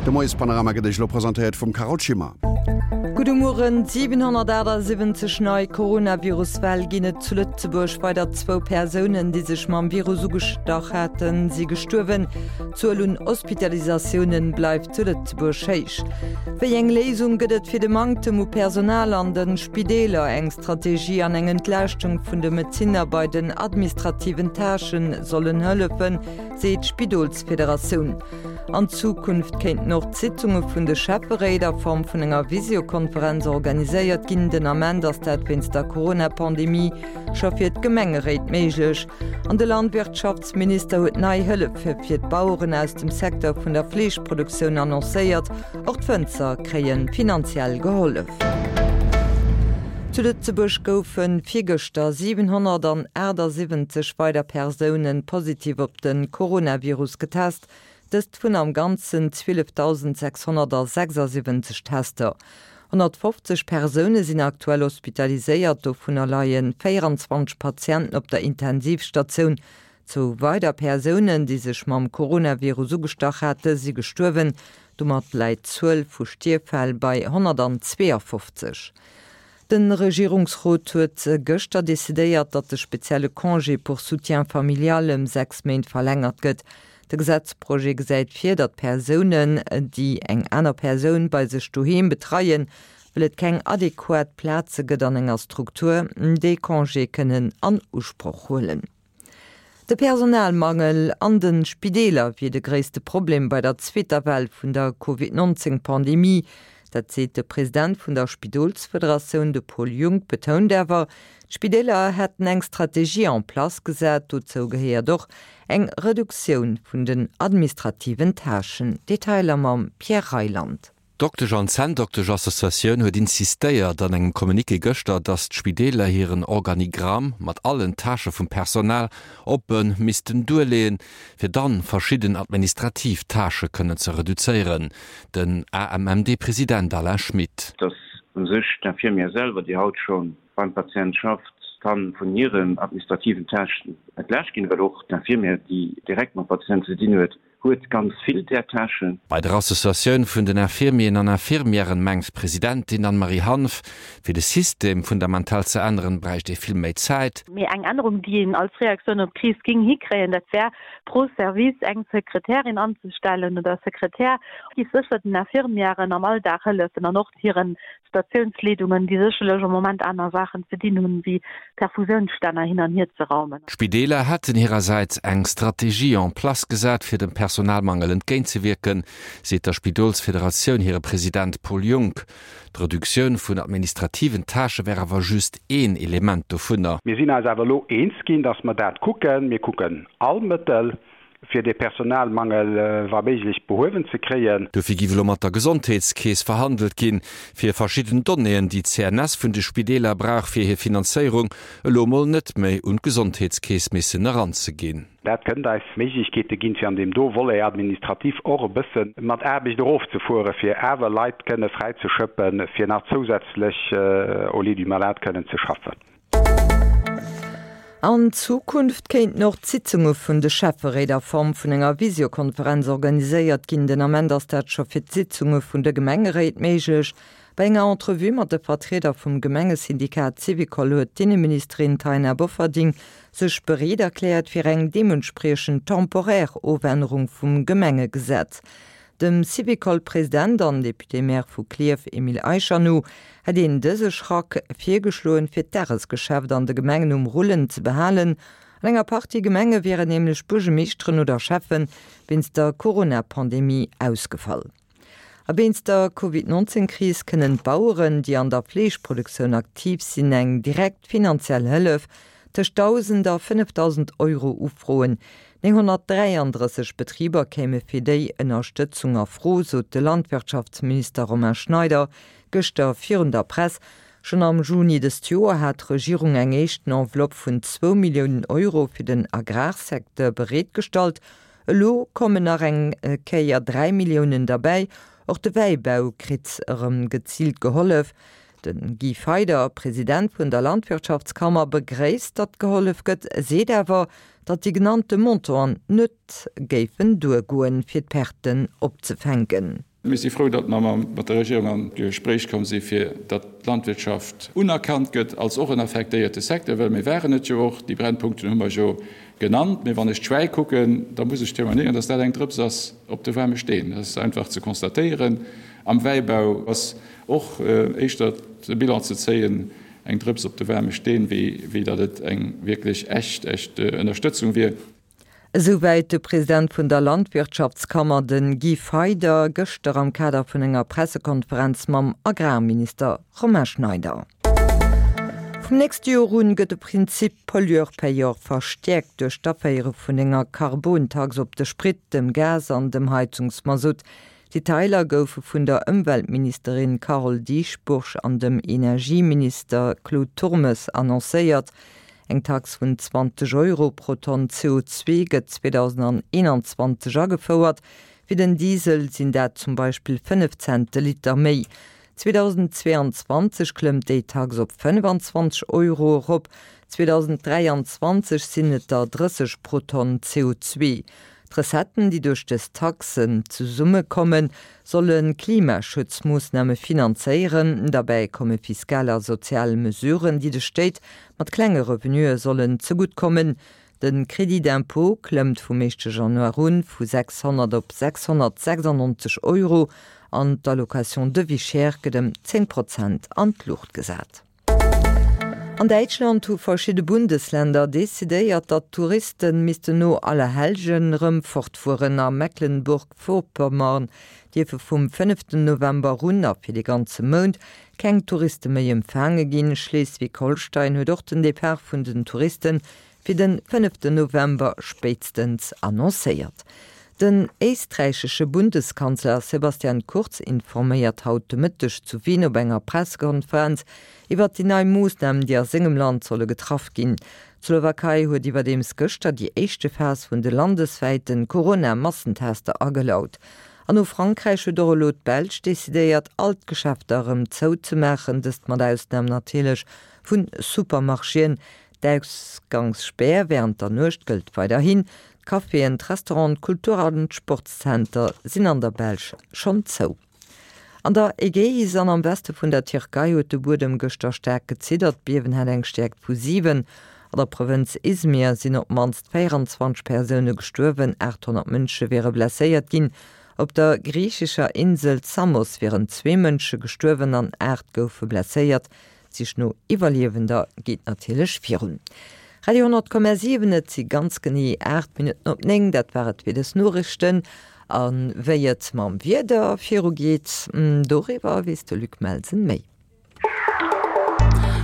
De Moiespanorama gëtt Iech elo presentéiert vum Carole Schimmer. Gudde Mueren. 778 nei Coronavirus-Fäll ginn et zu Lëtzebuerg. Weider zwou Persounen, déi sech mam Virus ugestach haten, si gestuerwen. D'Zuel un Hospitalisatioune bleift zu Lëtzebuerg héich. Wéi eng Léisung gëtt et fir de Manktem u Personal an de Spideeler? Eng Strategie an eng Entlaaschtung vun de Medezinner bei den administrativen Tâchen sollen hëllefen, seet d'Spidolsfederatioun. An Zukunft kéinten och d'Sitzunge vun de Schäfferéit a Form vun enger Visiokonferenz organiséiert ginn. Den Ament ass dat wéinst der Corona-Pandemie scho fir d'Gemengeréit méiglech. An de Landwirtschaftsminister huet nei Hëllefe fir d'Baueren aus dem Secteur vun der Fleeschproduktioun annoncéiert. Och d'Wënzer kréie finanziell gehollef. Zu Lëtzebuerg goufe virgëschter 778 weider Persoune positiv op de Coronavirus getest, dëst vun am Ganzen 12.676 Tester. 150 Persoune sinn aktuell hospitaliséiert, dovunner leie 24 Patienten op der Intensivstatioun. Zwou weider Persounen, déi sech mam Coronavirus ugestach hate, si gestuerwen. Domat läit d'Zuel vu Stierffäll bei 152. De Regierungsrot huet gëschter decidéiert, datt de spezielle Congé pour soutien familial ëm 6 Méint verlängert gëtt. De Gesetzprojet gesäit vir, datt Persounen, déi eng aner Persoun bei sech doheem betreien, well et keng adequat Plaze gëtt an enger Struktur, dee Congé kënnen an Usproch huelen. De Personalmangel an de Spideeler wier de gréisste Problem bei der zweeter Well vun der Covid 19 Pandemie. Dat seet de President vun der Spidolsfederatioun. De Paul Junck betount awer, d'Spideeler hätten eng Strategie en place gesat. Dozou gehéiert och eng Reduktioun vun den administrativen Tâchen. Detailer mam Pierre Reyland. D'Doktesch an Zänndoktesch-Associatioun huet insistéiert an engem Communiqué gëschter, datt d'Spideeler hiren Organigramm mat allen Tâchë vum Personal oppe missten duerleeën, fir dann verschidden administrativ Tâchë kënnen ze reduzéieren. Den AMMD-President Alain Schmit. Datt u sech d'Infirmière selwer, déi haut scho beim Patient schafft, ka vun hiren administrativen Tâchen entlaascht ginn, well och d'Infirmière, déi direkt mam Patient ze dinn huet, Huet ganz vill där Tâchen. Bei der Associatioun vun den Infirmieren an Infirmièren mengt d'Presidentin Anne-Marie Hanff, fir de System fundamental ze änneren, bräicht ee vill méi Zäit. Mee eng Ännerung, déi een als Reaktioun op d'Kris géing hikréien, dat wär, pro Service eng Sekretärin anzestellen oder e Sekretär. Dat géif sécher den Infirmièren am Alldag hëllefen an och hiren Statiounsleedungen, déi sécherlech am Moment aner Saachen ze dinn hunn, wéi Perfusiounsstänner hin an hier ze raumen. D'Spideeler hätten hirersäits eng Strategie en place gesat, fir dem Personalmangel entgéintzewierken, seet der Spidolsfederatioun hire President Paul Junck. D'Reduktioun vun administrativen Tâchë wär awer just een Element dovunner. Mir sinn eis awer elo eens ginn, dass mer dat kucken. Mir kucken all Mëttel, fir dee Personalmangel wa méiglech behuewen ze kréien. Dofir giff elo mat der Gesondheetskeess verhandelt ginn, fir verschidden Donnéeën, déi d'CNS vun de Spideeler brauch fir hir Finanzéierung, elo emol net méi un d'Gesondheetskeess missen eranzeginn. Dat kënnt eis Méiglechkeete ginn, fir an deem do Volet administratif och e bësse mat Aarbecht erofzefueren, fir awer Leit kënne fräizeschëppen, fir nach zousätzlech au lit du malade kënnen ze schaffen. An Zukunft kéinten och d'Sitzunge vun de Schäfferéit a Form vun enger Visiokonferenz organiséiert ginn. Den Ament ass dat scho fir d'Sitzunge vun de Gemengeréit méiglech. Bei enger Entrevue mat de Vertrieder vum Gemengesyndikat Syvicol huet d'Inneministerin Taina Bofferding sech bereet erkläert fir eng deementspriechend temporaire Ofännerung vum Gemengegesetz. Dem Syvicol-President an Député-Maire vu Klierf Emile Eicher no hätt een dëse Schrack virgeschloen, fir d'Dagesgeschäft an de Gemengen um Rullen ze behalen. An enger Partie Gemenge wieren nämlech Buergemeeschteren oder Schäffe wéinst der Corona-Pandemie ausgefall. A wéinst der Covid 19 Kris kënnen d'Baueren, déi an der Fleeschproduktioun aktiv sinn, eng direkt finanziell Hëllef tëscht 1.000 a 5.000 Euro ufroen. 933 Betriber kéime fir déi Ënnerstëtzung a Fro, sot de Landwirtschaftsminister Romain Schneider gëschter virun der Press. Schonn am Juni dëst Joer hat d'Regierung eng éischten Enveloppe vun zwou Milliounen Euro fir den Agrarsecteur bereetgestallt. Elo kommen nach eng Kéier 3 Milliounen derbäi. Och de Wäibau kritt erëm geziilt gehollef. De Guy Feyder, President vun der Landwirtschaftskammer, begréisst, datt gehollef gëtt, seet awer, datt déi genannte Montanten net géifen duergoen, fir d'Perten opzefänken. Mir si frou, datt mer mat der Regierung an d'Gespréich komm si fir datt d'Landwirtschaft unerkannt gëtt als och en affektéierte Secteur, well mir waren et jo och. Déi Brennpunkten hu mer jo genannt. Mee wann ech d'Schwäi kucken, da muss ech témoignéieren, datt dat eng Drëps ass op de waarme Steen. Dat ass einfach ze constatéieren. Am Wäibau ass och éischter de Bilan ze zéien, eng Drëps op de waarme Steen, wéi datt et eng wierklech echt, echt Ënnerstëtzung wier. Esouwäit de President vun der Landwirtschaftskammer, de Guy Feyder, gëschter am Kader vun enger Pressekonferenz mam Agrarminister Romain Schneider. Vum nächste Joer un gëtt de Prinzip Pollueur-Payeur verstäerkt duerch d'Aféiere vun enger Karbontax op de Sprit, dem Gas an dem Heizungsmasutt. Detailer goufe vun der Ëmweltministerin Carole Dieschbourg an dem Energieminister Claude Turmes annoncéiert. Eng Tax vun 20 Euro pro Tonn CO2 gëtt 2021 agefouert. Fir den Diesel sinn dat zum Beispill 5 Cent de Liter méi. 2022 klëmmt déi Tax op 25 Euro erop, 2023 sinn et der 30 pro Tonn CO2. D'Recetten, déi duerch dës Taxen zesummekommen, solle Klimaschutzmoossname finanzéieren. Derbäi komme fiskal a sozial Mesuren, déi de Stéit mat klenge Revenuë sollen zegutt kommen. De Crédit d'impôt klëmmt vum éischte Januar un vu 600 op 696 Euro an d'Allocation de vie chère gëtt ëm 10 Prozent an d'Luucht gesat. An Däitschland hu verschidde Bundesländer decidéiert, datt d'Touristen missten no Allerhellgen erëm fortfueren. A Mecklenburg-Vorpommern dierfe vum fënneften November un a fir de ganze Mount keng Touriste méi empfaange ginn. Schleswig-Holstein huet och den Depart vun den Touristen fir den fënneften November spéitstens annoncéiert. Den éisträichesche Bundeskanzler Sebastian Kurz informéiert haut de Mëtteg zu Wien op enger Pressekonferenz iwwert déi nei Moossnamen, déi a sengem Land solle getraff ginn. D'Slowakei huet iwwerdeems gëschter déi éischte Phas vun de landeswäite Corona-Massentester agelaut. An no Frankräich huet och elo d'Belsch decidéiert, all d'Geschäfter erëm zouzemaachen, dëst mat Ausnam natierlech vu Supermarchéen. D'Ausgangsspär wärend der Nuecht gëllt weiderhin. D'Caféen, d'Restauranten, d'Kultur an d'Sportszenter sinn an der Belsch schonn zou. An der Ägäis an am Weste vun der Tierkei huet de Buedem gëschter staark geziddert. D'Biewen hat eng Stäerkt vu 7. An der Provënz Izmir sinn op d'mannst 24 Persoune gestuerwen, 800 Mënsche wiere blesséiert ginn. Op der griichescher Insel Samos wieren zwee Mënsche gestuerwen an 8 goufe blesséiert. D'Sich no Iwwerliewender geet natierlech virun. Radio 10,7, Et si ganz genee 8 Minutten op 9. Dat war et fir dës Noriichten. A wéi et mam Wieder virugeet, doriwwer weess de Luc Melsen méi.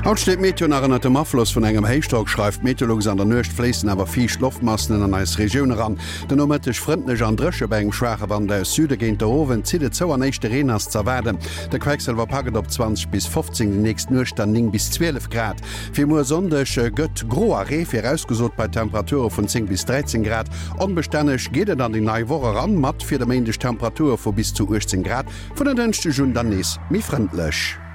Haut steet d'Meteo nach ënnert dem Afloss vun engem Héichdrock, schreift d'Meteolux. An der Nuecht fléissen awer fiicht Loftmassen an eis Regioun eran. Den Nomëtteg frëndlech an dréche bei engem schwaache Wand aus Süde. Géint der Owend zitt et zou an éischte Reen ass z'erwaarden. De Quecksëlwer packt et op 20 bis 15, déi nächst Nuecht dann 9 bis 12 Grad. Fir muer Sonndeg gëtt gro a Ree virausgesot bei Temperature vun 10 bis 13 Grad. Onbestänneg geet et an déi nei Woch eran, mat fir de Méindeg Temperature vu bis zu 18 Grad, vun en Dënschdeg un dann nees méi frëndlech.